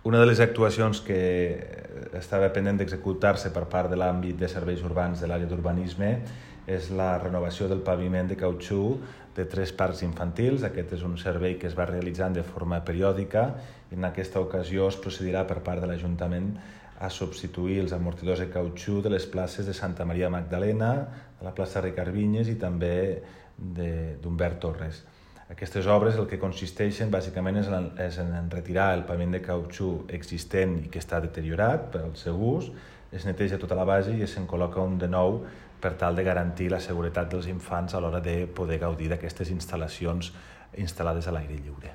Una de les actuacions que estava pendent d'executar-se per part de l'àmbit de serveis urbans de l'àrea d'urbanisme és la renovació del paviment de cautxú de 3 parcs infantils. Aquest és un servei que es va realitzant de forma periòdica i en aquesta ocasió es procedirà per part de l'Ajuntament a substituir els amortidors de cautxú de les places de Santa Maria Magdalena, de la plaça Ricard Vinyes i també d'Humbert Torres. Aquestes obres el que consisteixen bàsicament és en retirar el paviment de cautxú existent i que està deteriorat per al seu ús, es neteja tota la base i se'n col·loca un de nou per tal de garantir la seguretat dels infants a l'hora de poder gaudir d'aquestes instal·lacions instal·lades a l'aire lliure.